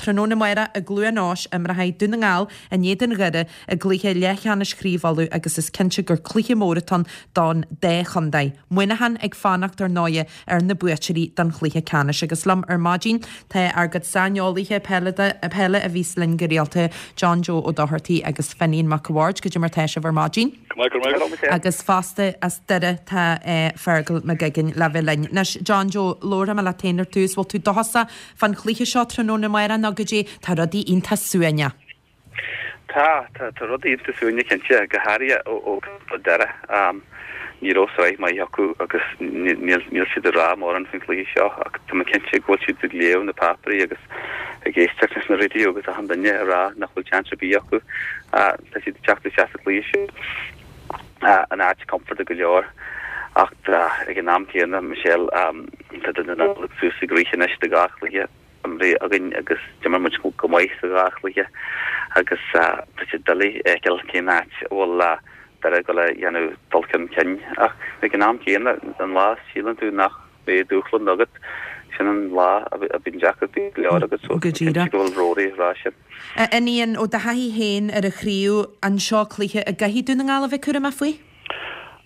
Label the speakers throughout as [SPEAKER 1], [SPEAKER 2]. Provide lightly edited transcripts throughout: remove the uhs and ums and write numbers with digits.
[SPEAKER 1] Tráthnóna amárach i gCluain Eois imreoidh Dún na nGall in éadan Dhoire i gcluiche leathcheannais Chraobh Uladh agus is cinnte gur cluiche mór atá ann don dá chontae. Muineachán ag fanacht ar ndóighe ar na buaiteoirí don chluiche ceannais. Agus liom ar maidin tá ár gcuid saineolaithe peile a bhíos linn go rialta, John Joe Ó Dochartaigh agus Finian Mac a' Bhaird. Goidé mar tá sibh ar maidin?
[SPEAKER 2] Go maith, go raibh maith agat.
[SPEAKER 1] Agus fosta as Doire tá Fergal McGuigan le bheith linn. Anois, John Joe, labharfaidh mé leat féin ar dtús. Bhfuil tú dóchasach fán chluiche seo tráthnóna amárach nó goidé tá rudaí iontach suaimhneach?
[SPEAKER 2] Tá, tá, tá rudaí iontach suaimhneach cinnte, go háirithe ó ó Doire. Ní raibh sraith maith acu agus níl níl siad ag rá mórán faoin chluiche seo ach tá mé cinnte go bhfuil siad ag léamh na páipéirí agus ag éisteacht leis na raidió agus achan duine ag rá nach bhfuil seans ar bith acu. Tá siad ag teacht isteach sa chluiche seo in áit compordach go leor ach ag an am céanna, Michelle, tá Dún na nGall suas ag rith anois do dhá chluiche. imeartha againn agus d'imir muid go maith sa dhá chluiche agus tá sé doiligh a fheiceáil cén áit a bhfuil Doire ag dul a dhéanamh dul chun cinn ach ag an am céanna an lá a síleann tú nach mbeidh dúshlán agat sin an lá a bhíonn deacrachtaí go leor agat so
[SPEAKER 1] Go
[SPEAKER 2] díreach. go bhfuil Rory ag rá sin.
[SPEAKER 1] A Fhinian, ó do thaithí féin ar an chraobh, an seo cluiche a gcaithfidh Dún na Ngall a bheith cúramach faoi?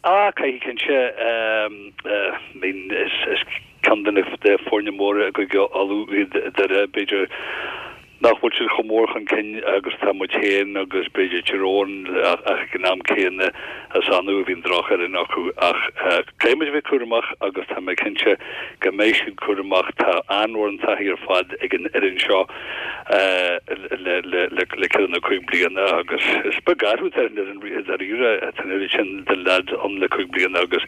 [SPEAKER 3] Ah, caithfidh cinnte. I mean is ceann de na foirne móra i gCúige Uladh iad Doire, b'fhéidir nach bhfuil siad chomh mór chun cinn agus atá muid féin agus b'fhéidir Tír Eoghain ach ag an am céanna is annamh a bhíonn drochfhoireann acu. Ach caithfidh muid a bheith cúramach agus tá mé cinnte go mbeidh siad cúramach. Tá an-mhórán taithí ar fad ag an fhoireann seo. le ceithre nó 5 bliana agus is beag athrú atá ar an fhoireann i ndáiríre, tá an oiread sin de leaids ann le 5 bliana agus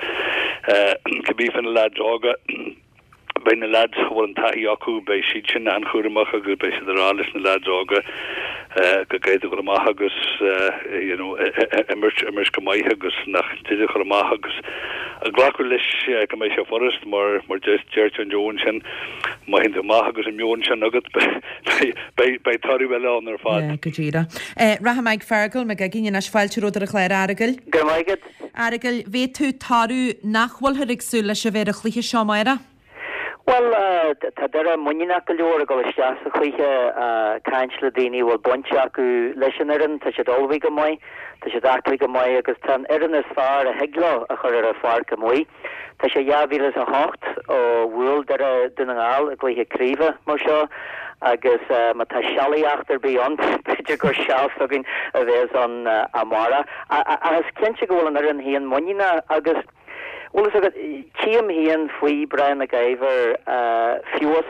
[SPEAKER 3] cibé fá na leaids óga, beidh na leaids a bhfuil an taithí acu, beidh siad sin an-chúramach agus beidh siad ag rá leis na leaids óga go gcaithfidh tú dul amach agus you know imirt, imirt go maith agus nach dtig a chur amach agus glacadh leis go mbeidh sé furast mar mar deir John Joe ansin. Má théann tú amach agus an meon sin agat, beidh toradh eile ann ar fad.
[SPEAKER 1] Go díreach. Rachaidh mé ag Fergal McGuigan anois. Fáilte romhat ar an chlár, a Fheargail.
[SPEAKER 4] Go raibh maith agat.
[SPEAKER 1] A Fheargail, bhféadfadh tú toradh nach bhfuilthear ag súil leis a bheith ar an chluiche seo amárach?
[SPEAKER 4] Bhuel, tá Doire muiníneach go leor ag dul isteach sa chluiche. Caint le daoine a bhfuil baint acu leis an fhoireann, tá siad ullmhaithe go maith, tá siad aclaí go maith agus tá an fhoireann is fearr a thig leo a chur ar an pháirc amuigh. Tá sé 2008 ó bhuail Doire Dún na nGall i gcluiche craoibhe mar seo agus má tá sealaíocht ar bith ann, b'fhéidir gur seal s'againn a bheas ann amárach. Ach is cinnte go bhfuil an fhoireann féin muiníneach agus, bhfuil fhios agat, tchím féin faoi Brian Mac Ivor feabhas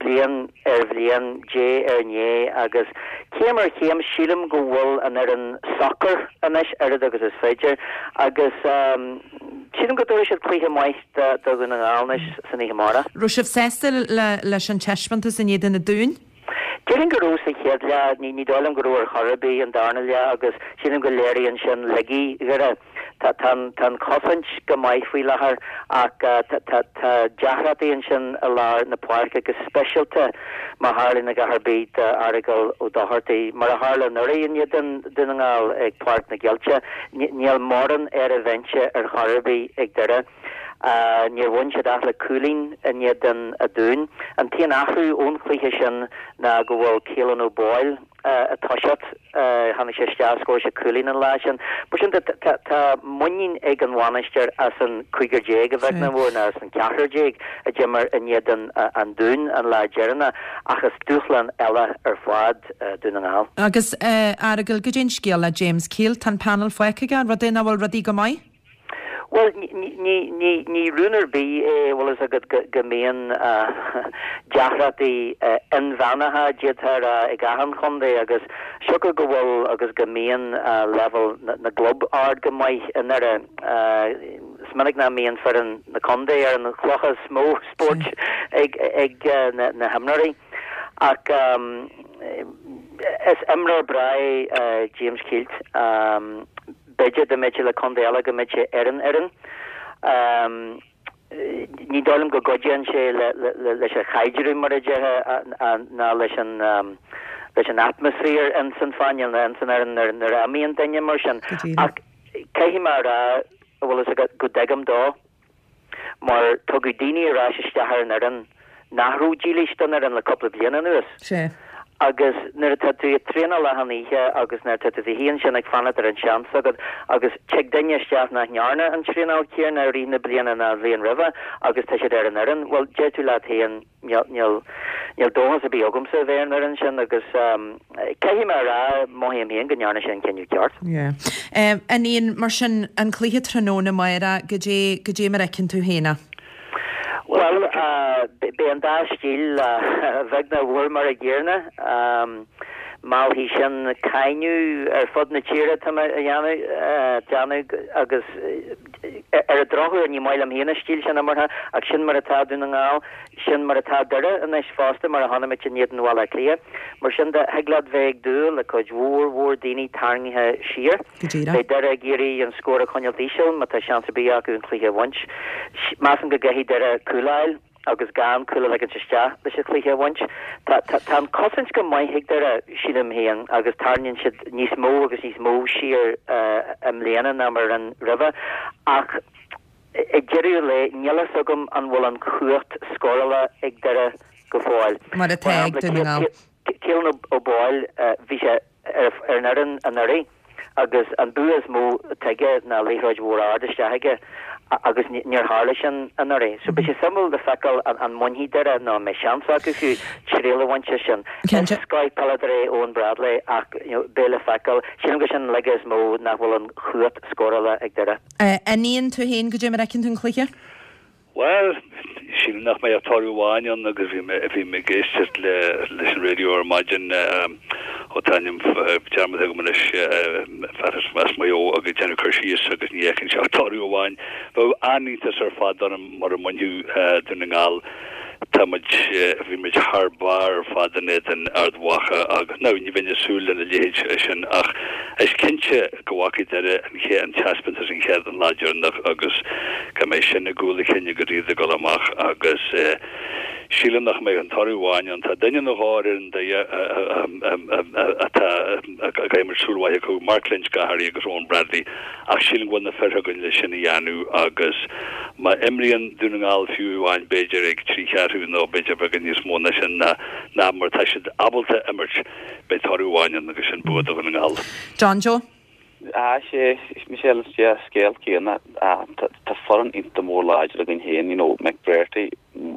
[SPEAKER 4] bliain ar bhliain, diaidh ar ndiaidh agus céim ar chéim sílim go bhfuil an fhoireann socair anois, oiread agus is féidir, agus sílim go dtabharfaidh siad cluiche maith do Dhún na nGall anois san oíche amárach.
[SPEAKER 1] Raibh sibh sásta leis an taispeántas in éadan an Dúin?
[SPEAKER 4] Déarfainn go raibh sa chéad leath, ní dóigh liom go raibh ar chor ar bith an darna leath agus sílim go léiríonn sin laigí Dhoire. Tá an chosaint go maith faoi láthair ach tá deacrachtaí ansin i lár na páirce, go speisialta má tharlaíonn a dhath ar bith d'Fheargal Ó Dochartaigh. Mar a tharla anuraidh in éadan Dún na nGall ag Páirc na gCeilte, níl mórán ar an bhinse ar chor ar bith ag Doire. Níor bhain siad ach le cúilín in éadan an Dúin. An t-aon athrú ón chluiche sin ná go bhfuil Caolan O'Boyle ag toiseacht. Tháinig sé isteach, scór sé cúilín an lá sin. Mar sin de, tá muinín ag an bhainisteoir as an cúigear déag a bheag nó a mhór, nó as an ceathrar déag a d'imir in éadan an Dúin an lá deireanach, ach is dúshlán eile ar fad Dún na nGall.
[SPEAKER 1] Agus, a Fheargail, goidé an scéal le James Kielt? Tá an panel fágtha aige, an rud é nach bhfuil rudaí go maith?
[SPEAKER 4] Bhuel, ní rún ar bith é, bhfuil fhios agat, go mbíonn deacrachtaí inmheánacha, d'fhéadfá a rá, ag achan chontae agus siocair go bhfuil agus go mbíonn leibhéal na gclub ard go maith i nDoire, is minic nach mbíonn foireann na contae ar an chloch is mó spóirt ag na himreoirí. Ach is imreoir breá é James Kielt. B'fhéidir dá mbeadh sé le contae eile go mbeadh sé ar an fhoireann. Ní dóigh liom go gcuidíonn sé leis an chaidreamh mar a déarfá ná leis an leis an atmaisféar ins an phainéal nó ins an fhoireann nuair a imíonn duine mar sin. Ach caithfidh mé a rá, bhfuil fhios agat, go dtuigim dó. Mar tugadh daoine ar ais isteach ar an fhoireann nach raibh dílis don fhoireann le cúpla bliain anuas.
[SPEAKER 1] Sea.
[SPEAKER 4] Agus nuair atá tú ag traenáil achan oíche agus nuair atá tú i do shuí ansin ag fanacht ar an seans agat agus tig duine isteach nach ndearna an traenáil céanna i rith na bliana ná an bhliain roimhe agus tá siad ar an fhoireann, bhuel, deir tú leat féin, níl, níl, níl dóchas ar bith agamsa a bheith ar an fhoireann sin agus caithfidh mé a rá, mothaím féin go ndearna sé an cinneadh ceart.
[SPEAKER 1] Yeah. Fhinian, mar sin, an cluiche tráthnóna amárach, goidé, goidé mar a fheiceann tú féin é?
[SPEAKER 4] Bhuel, beidh an dá stíl, a bheag nó a mhór, mar a gcéanna. Meallfaidh sin cáineadh ar fud na tíre, tá mé a dhéanamh, agus ar an drochuair ní maith liom féin an stíl sin imeartha, ach sin mar atá Dún na nGall, sin mar atá Doire anois fosta, mar a chonaic muid in éadan Bhaile Átha Cliath. Mar sin de, thig leat bheith ag dúil le cuid mhór mhór daoine tarraingthe siar.
[SPEAKER 1] Go díreach.
[SPEAKER 4] Beidh Doire ag iarraidh an scór a choinneáilt íseal má tá seans ar bith acu an cluiche a bhaint. Measaim go gcaithfidh Doire cúl a fháil agus gan cúl a ligint isteach leis an chluiche a bhaint. Tá tá an cosaint go maith ag Doire, sílim féin, agus tarraingíonn siad níos mó agus níos mó siar i mbliana ná mar a rinne roimhe. Ach ag deireadh an lae, níl a fhios agam an bhfuil an chumhacht scórála ag Doire go fóill.
[SPEAKER 1] Mar atá ag Dún na nGall.
[SPEAKER 4] Caolan Ó Baoill, bhí sé ar an fhoireann anuraidh agus an bua is mó atá aige ná liathróid mhór ard isteach aige agus níor tharla sin anuraidh. So beidh sé suimiúil le feiceáil an mbainfidh Doire nó an mbeidh seans acu fiú triail a bhaint as sin.
[SPEAKER 1] Is
[SPEAKER 4] scoth-pheileadóir é Eoin Bradley ach beidh le feiceáil. Sílim gur sin an laige is mó nach bhfuil an chumhacht scórála ag Doire.
[SPEAKER 1] Fhinian, tú féin, goidé mar a fheiceann tú an cluiche?
[SPEAKER 3] Bhuel, sílim nach mbeidh ach toradh amháin ann agus bhí mé, bhí mé ag éisteacht le, leis an raidió ar maidin, ó tá a ainm dearmadta agam anois, fear as, as Maigh Eo agus ag déanamh cur síos agus ní fheiceann sé ach toradh amháin. Bheadh an-iontas ar fad orm mura mbainfeadh Dún na nGall. Tá muid, bhí muid thar barr ar fad in éadan Ard Mhacha agus, now, ní bheinn ag súil lena leithéid sin ach is cinnte go bhfaca Doire an chéad, an taispeántas an chéad, an lá deireanach agus go mbeidh sin i gcúl a chinn agus iad ag dul amach agus sílim nach mbeidh ach toradh amháin ann. Tá duine nó dhó ar fhoireann Doire atá, a gcaithfidh muid súil mhaith acu, Mark Lynch go háirithe agus Eoin Bradley ach sílim go bhfuil na fir againn le sin a dhéanamh agus má imríonn Dún na nGall fiú amháin b'fhéidir ag 3 cheathrú nó b'fhéidir beagán níos mó ná sin ná ná mar atá siad ábalta imirt, beidh toradh amháin ann agus sin bua do Dhún na nGall.
[SPEAKER 1] John Joe.
[SPEAKER 2] Ah, sé, Michelle, is é an scéal céanna. Tá foireann iontach mór láidir againn féin, you know, McBrearty,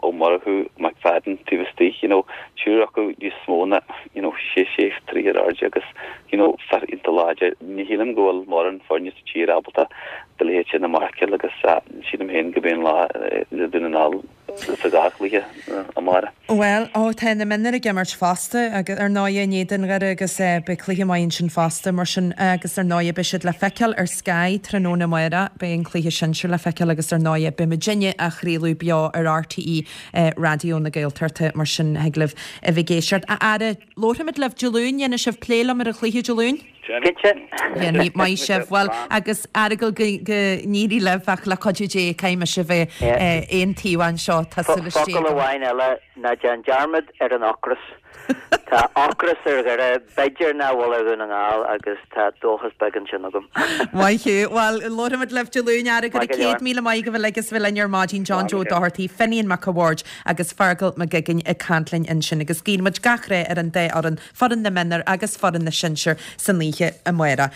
[SPEAKER 2] Ó Murchú, McFadden taobh istigh, you know, triúr acu níos mó ná, you know, sé sé troigh ar airde agus, you know, fear iontach láidir. Ní shílim go bhfuil mórán foirne sa tír ábalta do leithéid sin a mharcáil agus sílim féin go mbeidh an lá le Dún na nGall sa dá chluiche amárach.
[SPEAKER 1] Bhuel, ó, tá na mionúir ag imirt fosta, agus ar ndóighe in éadan Dhoire agus beidh cluiche maith ansin fosta, mar sin, agus ar ndóighe beidh siad le feiceáil ar Sky tráthnóna amárach, beidh an cluiche sinsir le feiceáil agus ar ndóighe beidh muidinne á chraoladh beo ar RTÉ Raidió na Gaeltachta, mar sin thig libh a bheith ag éisteacht. A fheara, labharfaimid libh Dé Luain, dhéanfaidh sibh plé liom ar an chluiche Dé Luain?
[SPEAKER 4] Cinnte.
[SPEAKER 1] Dhéanfaidh, maith sibh. Bhuel, agus Fheargal go n-éirí libh ach le cuidiú Dé caithfidh mise a bheith aon taobh anseo, tá súil istigh
[SPEAKER 4] Focal amháin eile, ná déan dearmad ar an ocras. Tá ocras ar Dhoire, b'fhéidir nach bhfuil ar Dhún na nGall agus tá dóchas beag ansin agam.
[SPEAKER 1] Maith thú. Bhuel, labharfaimid libh Dé Luain, a Fheargail. Go raibh 100,000 maith agaibh uilig as a bheith linn ar maidin, John Joe Doherty, Finian Mac a' Bhaird agus Feargal Mac Guigan ag caint linn ansin agus guíonn muid gach rath ar an dá fhoireann, foireann na mionúr agus foireann na sinsear san oíche amárach.